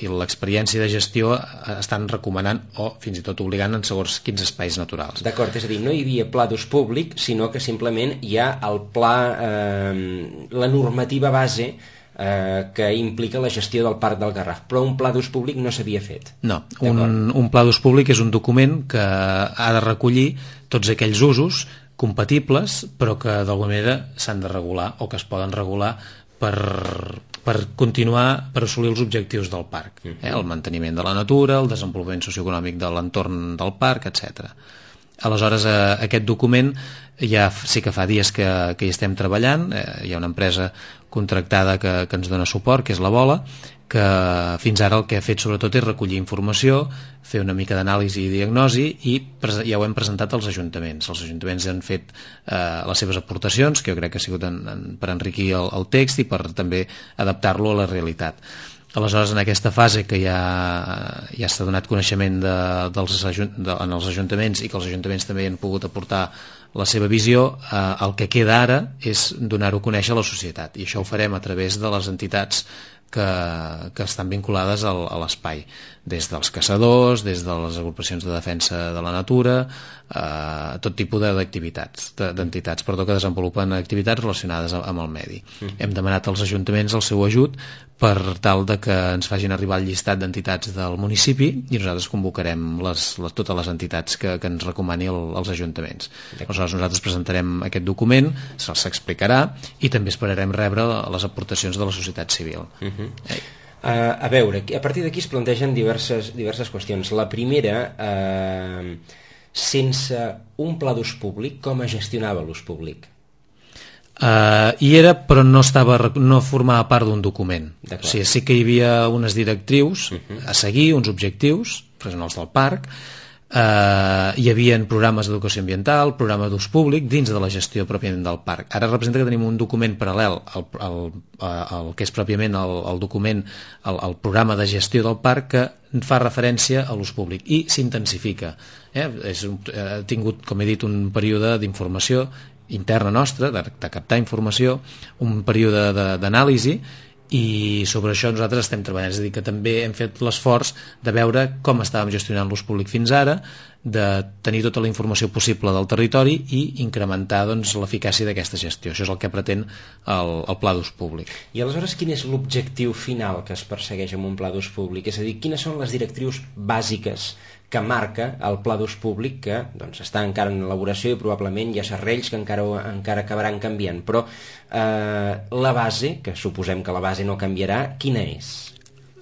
l'experiència de gestió estan recomanant o fins i tot obligant en segons quins espais naturals. D'acord, és a dir, no hi havia Pla d'Ús Públic, sinó que simplement hi ha el pla, eh, la normativa base eh, que implica la gestió del Parc del Garraf, però un Pla d'Ús Públic no s'havia fet. No, un, un Pla d'Ús Públic és un document que ha de recollir tots aquells usos compatibles però que d'alguna manera s'han de regular o que es poden regular per, per continuar, per assolir els objectius del parc, eh? El manteniment de la natura, el desenvolupament socioeconòmic de l'entorn del parc, etcètera. Aleshores, eh, aquest document ja sí que fa dies que, que hi estem treballant, eh, hi ha una empresa contractada que, que ens dona suport, que és la Bola, que fins ara el que ha fet sobretot és recollir informació, fer una mica d'anàlisi i diagnosi i ja ho hem presentat als ajuntaments. Els ajuntaments han fet eh, les seves aportacions, que jo crec que ha sigut en, en, per enriquir el, el text i per també adaptar-lo a la realitat. Aleshores, en aquesta fase que ja, ja s'ha donat coneixement de, dels ajunt, de, en els ajuntaments i que els ajuntaments també han pogut aportar la seva visió, eh, el que queda ara és donar-ho a conèixer a la societat, i això ho farem a través de les entitats que, que estan vinculades al, a l'espai, des dels caçadors, des de les agrupacions de defensa de la natura, eh, tot tipus d'activitats, d'entitats, perdó, que desenvolupen activitats relacionades amb el medi. Mm. Hem demanat als ajuntaments el seu ajut per tal de que ens facin arribar el llistat d'entitats del municipi i nosaltres convocarem les, les, totes les entitats que, que ens recomani el, els ajuntaments. Aleshores nosaltres presentarem aquest document, se'ls explicarà i també esperarem rebre les aportacions de la societat civil. Uh-huh. eh. Uh, a veure, a partir d'aquí es plantegen diverses, diverses qüestions. La primera, uh, sense un pla d'ús públic, com es gestionava l'ús públic? Uh, hi era, però no, estava, no formava part d'un document. O sigui, sí que hi havia unes directrius uh-huh. a seguir, uns objectius, els del parc, uh, hi havia programes d'educació ambiental, programa d'ús públic dins de la gestió pròpiament del parc. Ara representa que tenim un document paral·lel al, al, al que és pròpiament el, el document, el, el programa de gestió del parc, que fa referència a l'ús públic i s'intensifica. Eh? És un, ha tingut, com he dit, un període d'informació interna nostra, de, de captar informació, un període d'anàlisi, i sobre això nosaltres estem treballant. És a dir, que també hem fet l'esforç de veure com estàvem gestionant l'ús públic fins ara, de tenir tota la informació possible del territori i incrementar doncs, l'eficàcia d'aquesta gestió. Això és el que pretén el, el pla d'ús públic. I aleshores quin és l'objectiu final que es persegueix amb un pla d'ús públic? És a dir, quines són les directrius bàsiques que marca el pla d'ús públic, que doncs, està encara en elaboració i probablement hi ha serrells que encara, encara acabaran canviant, però eh, la base, que suposem que la base no canviarà, quina és?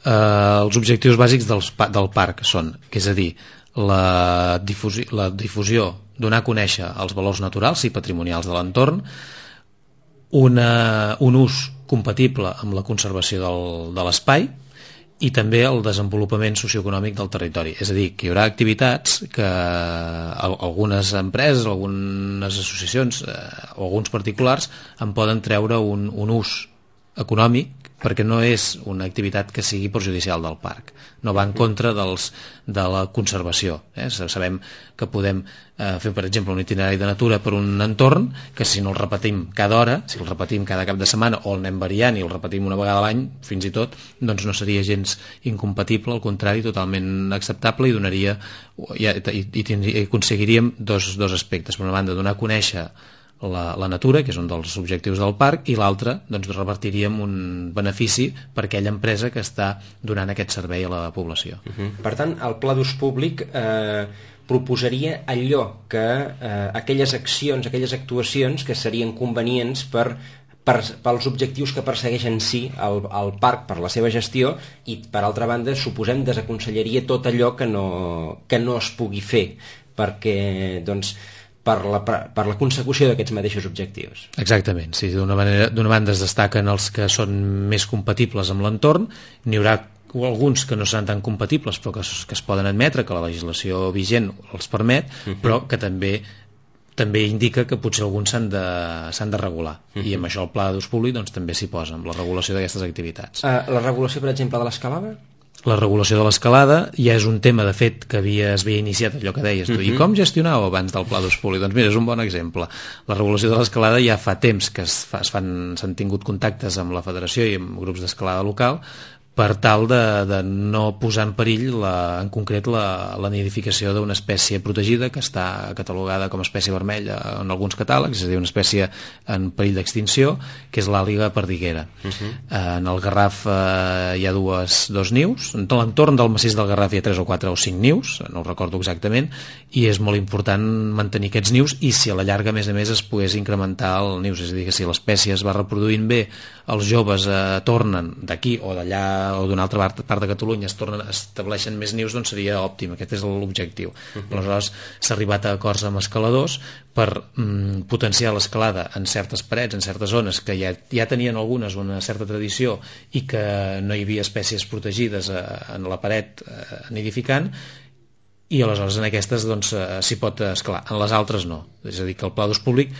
Uh, els objectius bàsics dels, del parc són, que és a dir, la difusió, la difusió, donar a conèixer els valors naturals i patrimonials de l'entorn, una, un ús compatible amb la conservació del, de l'espai, i també el desenvolupament socioeconòmic del territori. És a dir, que hi haurà activitats que algunes empreses, algunes associacions eh, o alguns particulars en poden treure un, un ús econòmic, perquè no és una activitat que sigui perjudicial del parc, no va en contra dels, de la conservació. Eh? Sabem que podem eh, fer, per exemple, un itinerari de natura per un entorn que si no el repetim cada hora, si el repetim cada cap de setmana o el anem variant i el repetim una vegada a l'any, fins i tot, doncs no seria gens incompatible, al contrari, totalment acceptable, i donaria i, i, i, i aconseguiríem dos, dos aspectes. Per una banda, donar a conèixer La, la natura, que és un dels objectius del parc, i l'altre, doncs, revertiríem un benefici per aquella empresa que està donant aquest servei a la població. Uh-huh. Per tant, el pla d'ús públic eh, proposaria allò que eh, aquelles accions, aquelles actuacions que serien convenients per, per, pels objectius que persegueix en si el, el parc per la seva gestió, i per altra banda, suposem, desaconsellaria tot allò que no, que no es pugui fer, perquè, doncs, per la, per la consecució d'aquests mateixos objectius. Exactament, sí. D'una manera, d'una banda es destaquen els que són més compatibles amb l'entorn, n'hi haurà alguns que no seran tan compatibles però que, que es poden admetre, que la legislació vigent els permet, uh-huh. però que també també indica que potser alguns s'han de, s'han de regular. Uh-huh. I amb això el pla d'ús públic doncs, també s'hi posa, amb la regulació d'aquestes activitats. Uh, la regulació, per exemple, de l'escalada? La regulació de l'escalada ja és un tema, de fet, que havia, es havia iniciat, allò que deies tu. Uh-huh. I com gestionàveu abans del pla d'ús públic? Doncs mira, és un bon exemple. La regulació de l'escalada ja fa temps que es fa, es fan, s'han tingut contactes amb la federació i amb grups d'escalada local per tal de, de no posar en perill, la, en concret, la, la nidificació d'una espècie protegida que està catalogada com a espècie vermella en alguns catàlegs, és a dir, una espècie en perill d'extinció, que és l'àliga perdiguera. Uh-huh. En el Garraf eh, hi ha dues, dos nius, en l'entorn del massís del Garraf hi ha tres o quatre o cinc nius, no ho recordo exactament, i és molt important mantenir aquests nius, i si a la llarga, a més a més, es pogués incrementar el nius, és a dir, que si l'espècie es va reproduint bé, els joves eh, tornen d'aquí o d'allà o d'una altra part, part de Catalunya, es tornen, estableixen més nius, doncs seria òptim. Aquest és l'objectiu. Uh-huh. Aleshores s'ha arribat a acords amb escaladors per mm, potenciar l'escalada en certes parets, en certes zones que ja, ja tenien algunes una certa tradició i que no hi havia espècies protegides eh, en la paret eh, nidificant, i aleshores en aquestes doncs, eh, s'hi pot escalar, en les altres no. És a dir, que el pla d'ús públic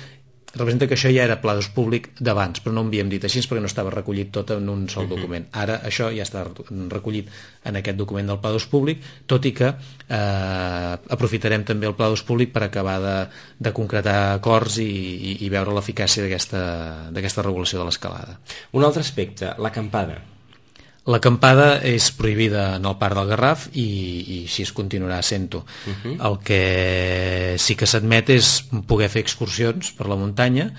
representa que això ja era pla d'ús públic d'abans, però no ho havíem dit així perquè no estava recollit tot en un sol document. Ara això ja està recollit en aquest document del pla d'ús públic, tot i que eh, aprofitarem també el pla d'ús públic per acabar de, de concretar acords i, i, i veure l'eficàcia d'aquesta, d'aquesta regulació de l'escalada. Un altre aspecte, l'acampada. L'acampada és prohibida en el Parc del Garraf i, i així es continuarà sent-ho. Uh-huh. El que sí que s'admet és poder fer excursions per la muntanya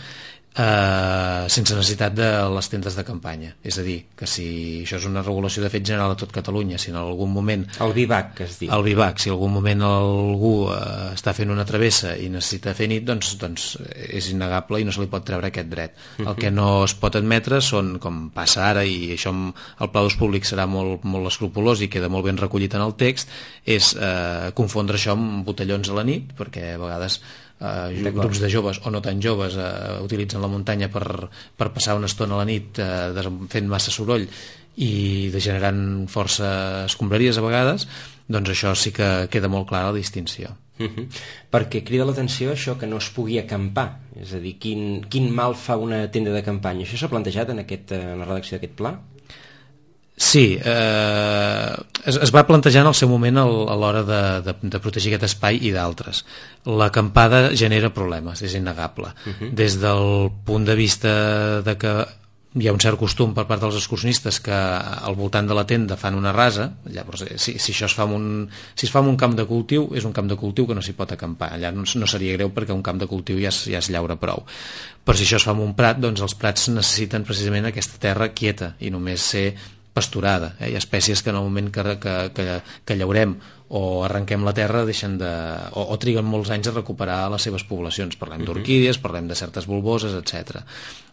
eh, sense necessitat de les tendes de campanya. És a dir, que si això és una regulació de fet general a tot Catalunya, si en algun moment... El vivac, que es diu. El vivac, si en algun moment algú eh, està fent una travessa i necessita fer nit, doncs, doncs és innegable i no se li pot treure aquest dret. Uh-huh. El que no es pot admetre són, com passa ara, i això amb el pla d'ús públic serà molt, molt escrupolós i queda molt ben recollit en el text, és eh, confondre això amb botellons a la nit, perquè a vegades Uh, grups de joves o no tan joves uh, utilitzen la muntanya per, per passar una estona a la nit uh, fent massa soroll i degenerant força escombraries a vegades, doncs això sí que queda molt clara la distinció. Uh-huh. Perquè crida l'atenció això que no es pugui acampar, és a dir, quin, quin mal fa una tenda de campanya. Això s'ha plantejat en, aquest, en la redacció d'aquest pla? Sí, eh, es, es va plantejar en el seu moment el, a l'hora de, de, de protegir aquest espai i d'altres. L'acampada genera problemes, és innegable. Uh-huh. Des del punt de vista de que hi ha un cert costum per part dels excursionistes que al voltant de la tenda fan una rasa, llavors si, si això es fa en un, si es fa en un camp de cultiu, és un camp de cultiu que no s'hi pot acampar, allà no, no seria greu perquè un camp de cultiu ja es, ja es llaura prou, però si això es fa en un prat, doncs els prats necessiten precisament aquesta terra quieta i només ser pasturada. Eh? Hi ha espècies que en el moment que, que, que, que llaurem o arrenquem la terra deixen de, o, o triguen molts anys a recuperar les seves poblacions. Parlem d'orquídies, parlem de certes bulboses, etcètera.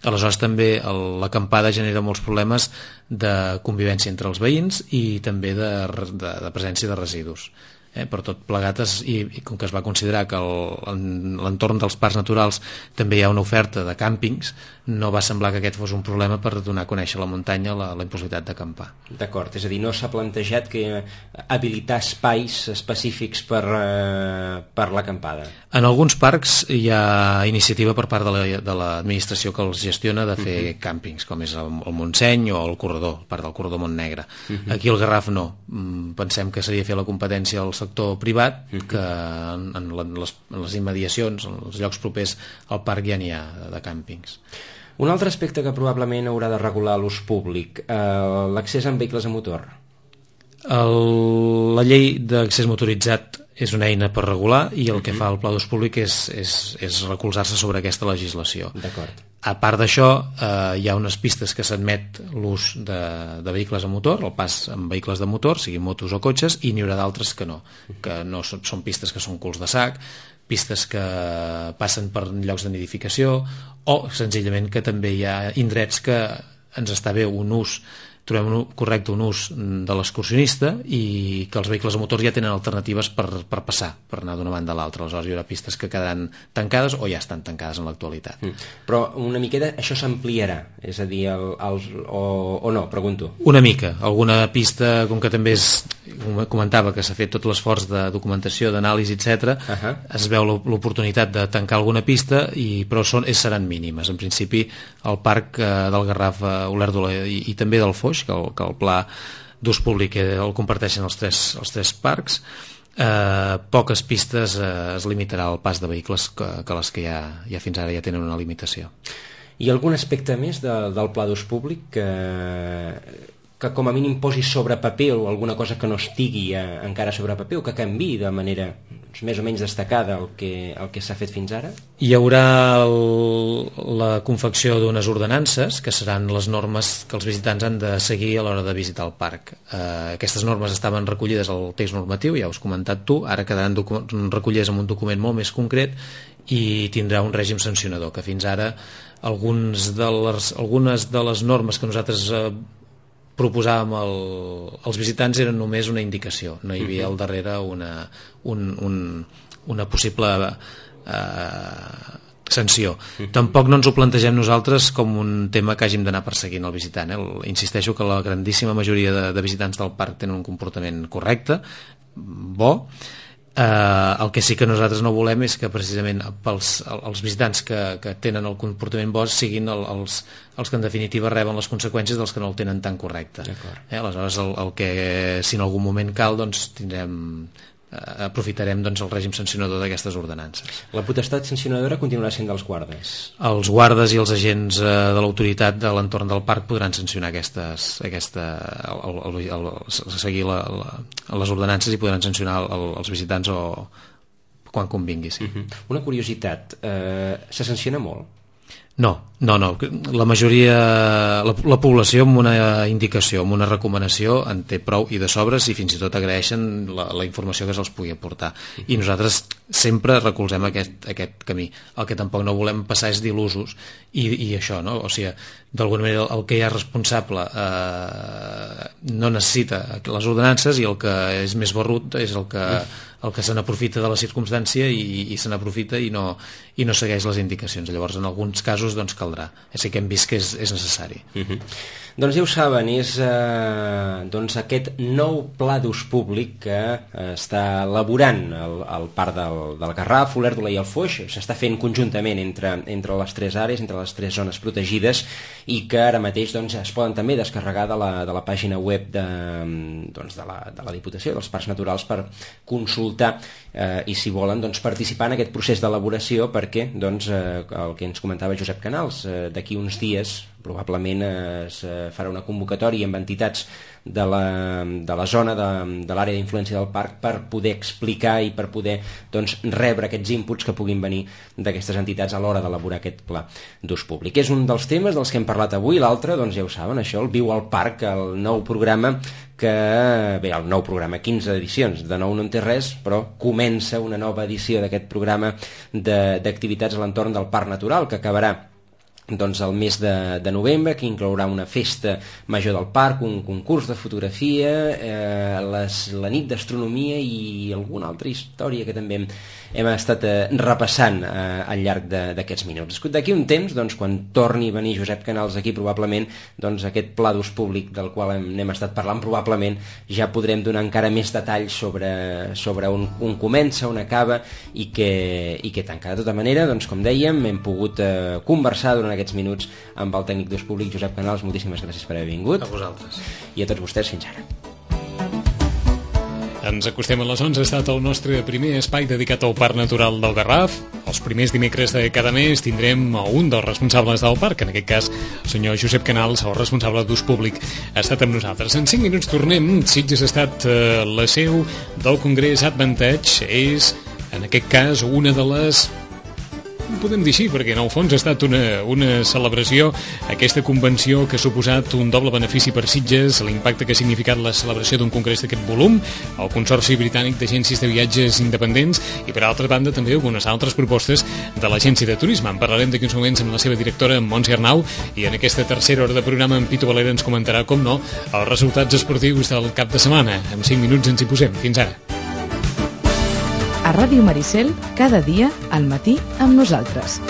Aleshores també el, l'acampada genera molts problemes de convivència entre els veïns i també de, de, de presència de residus. Eh, per tot plegat es, i, i com que es va considerar que el, en l'entorn dels parcs naturals també hi ha una oferta de càmpings, no va semblar que aquest fos un problema per donar a conèixer a la muntanya la, la impossibilitat d'acampar. D'acord, és a dir, no s'ha plantejat que habilitar espais específics per, eh, per l'acampada. En alguns parcs hi ha iniciativa per part de, la, de l'administració que els gestiona de fer uh-huh. càmpings, com és el, el Montseny o el Corredor, part del Corredor Montnegre. Uh-huh. Aquí al Garraf no. Pensem que seria fer la competència al sector privat, uh-huh. que en, en, les, en les immediacions, en els llocs propers al parc ja n'hi ha de, de càmpings. Un altre aspecte que probablement haurà de regular l'ús públic, eh, l'accés amb vehicles a motor. El, la llei d'accés motoritzat és una eina per regular i el que fa el pla d'ús públic és, és, és recolzar-se sobre aquesta legislació. D'acord. A part d'això, eh, hi ha unes pistes que s'admet l'ús de, de vehicles a motor, el pas amb vehicles de motor, siguin motos o cotxes, i n'hi haurà d'altres que no, que no són, són pistes que són culs de sac, pistes que passen per llocs de nidificació o senzillament que també hi ha indrets que ens està bé un ús trobem un, correcte un ús de l'excursionista i que els vehicles a motor ja tenen alternatives per, per passar, per anar d'una banda a l'altra. Aleshores hi haurà pistes que quedaran tancades o ja estan tancades en l'actualitat. Mm. Però una miqueta això s'ampliarà, és a dir, el, el, o, o no, pregunto. Una mica, alguna pista, com que també és, com comentava, que s'ha fet tot l'esforç de documentació, d'anàlisi, etcètera, uh-huh. es veu l'oportunitat de tancar alguna pista, i, però són, seran mínimes. En principi, el parc eh, del Garraf, eh, Olèrdola i, i també del Foix, que el, que el pla d'ús públic el comparteixen els tres, els tres parcs, eh, poques pistes eh, es limitarà al pas de vehicles que, que les que ja, ja fins ara ja tenen una limitació. I algun aspecte més de, del pla d'ús públic que, que com a mínim posi sobre paper, o alguna cosa que no estigui eh, encara sobre paper, o que canviï de manera doncs, més o menys destacada el que, el que s'ha fet fins ara? Hi haurà el, la confecció d'unes ordenances que seran les normes que els visitants han de seguir a l'hora de visitar el parc. Eh, aquestes normes estaven recollides al text normatiu, ja ho has comentat tu, ara quedaran recollides en un document molt més concret i tindrà un règim sancionador, que fins ara alguns de les, algunes de les normes que nosaltres eh, proposàvem el, als visitants eren només una indicació, no hi havia al darrere una, un, un, una possible eh, sanció. Tampoc no ens ho plantegem nosaltres com un tema que hàgim d'anar perseguint el visitant. Eh? Insisteixo que la grandíssima majoria de, de visitants del parc tenen un comportament correcte, bo. Uh, el que sí que nosaltres no volem és que precisament pels, els visitants que, que tenen el comportament bo siguin el, els, els que en definitiva reben les conseqüències dels que no el tenen tan correcte. Eh, aleshores el, el que si en algun moment cal doncs tindrem uh, aprofitarem doncs, el règim sancionador d'aquestes ordenances. La potestat sancionadora continuarà sent dels guardes? Els guardes i els agents uh, de l'autoritat de l'entorn del parc podran sancionar aquestes, aquesta, el, el, el, el, seguir la, la, les ordenances i podran sancionar el, els visitants o quan convingui. Sí. Uh-huh. Una curiositat, eh, se sanciona molt? No, no, no. La majoria, la, la població amb una indicació, amb una recomanació en té prou i de sobres i fins i tot agraeixen la, la informació que se'ls pugui aportar. I nosaltres sempre recolzem aquest, aquest camí. El que tampoc no volem passar és d'il·lusos i, i això, no? O sigui, d'alguna manera el que hi ha responsable eh, no necessita les ordenances i el que és més barrut és el que, el que se n'aprofita de la circumstància i, i se n'aprofita i no, i no segueix les indicacions. Llavors, en alguns casos, doncs, caldrà. Així que hem vist que és, és necessari. Uh-huh. Doncs ja ho saben, és eh, doncs aquest nou pla d'ús públic que eh, està elaborant el, el parc del, del Garraf, Olèrdola i el Foix. S'està fent conjuntament entre, entre les tres àrees, entre les tres zones protegides, i que ara mateix doncs, es poden també descarregar de la, de la pàgina web de, doncs, de, la, de la Diputació dels Parcs Naturals per consultar eh, i si volen doncs, participar en aquest procés d'elaboració, perquè doncs, eh, el que ens comentava Josep Canals, eh, d'aquí uns dies probablement es farà una convocatòria amb entitats de la, de la zona de, de l'àrea d'influència del parc per poder explicar i per poder doncs, rebre aquests inputs que puguin venir d'aquestes entitats a l'hora d'elaborar aquest pla d'ús públic. És un dels temes dels que hem parlat avui. L'altre, doncs ja ho saben, això, el Viu al Parc, el nou programa que, bé, el nou programa, quinze edicions, de nou no en té res, però comença una nova edició d'aquest programa d'activitats a l'entorn del Parc Natural, que acabarà doncs el mes de, de novembre, que inclourà una festa major del parc, un concurs de fotografia, eh, les, la nit d'astronomia i alguna altra història que també hem, hem estat eh, repassant eh, al llarg d'aquests minuts. D'aquí un temps, doncs, quan torni a venir Josep Canals aquí, probablement doncs, aquest pla d'ús públic del qual hem, hem estat parlant, probablement ja podrem donar encara més detalls sobre, sobre on, on comença, on acaba i què, i què tanca. De tota manera, doncs, com dèiem, hem pogut eh, conversar durant aquests minuts amb el tècnic d'ús públic Josep Canals. Moltíssimes gràcies per haver vingut. A vosaltres. I a tots vostès, fins ara. Ens acostem a les onze, ha estat el nostre primer espai dedicat al Parc Natural del Garraf. Els primers dimecres de cada mes tindrem un dels responsables del parc, en aquest cas el senyor Josep Canals, el responsable d'ús públic, ha estat amb nosaltres. En cinc minuts tornem. Sitges ha estat eh, la seu del Congrés Advantage, és en aquest cas una de les podem dir així, perquè en el fons ha estat una, una celebració, aquesta convenció que ha suposat un doble benefici per Sitges, l'impacte que ha significat la celebració d'un congrés d'aquest volum, el Consorci Britànic d'Agències de Viatges Independents i, per altra banda, també algunes altres propostes de l'Agència de Turisme. En parlarem d'aquí uns moments amb la seva directora, en Montse Arnau, i en aquesta tercera hora de programa en Pitu Valera ens comentarà, com no, els resultats esportius del cap de setmana. En cinc minuts ens hi posem. Fins ara. A Ràdio Maricel, cada dia, al matí, amb nosaltres.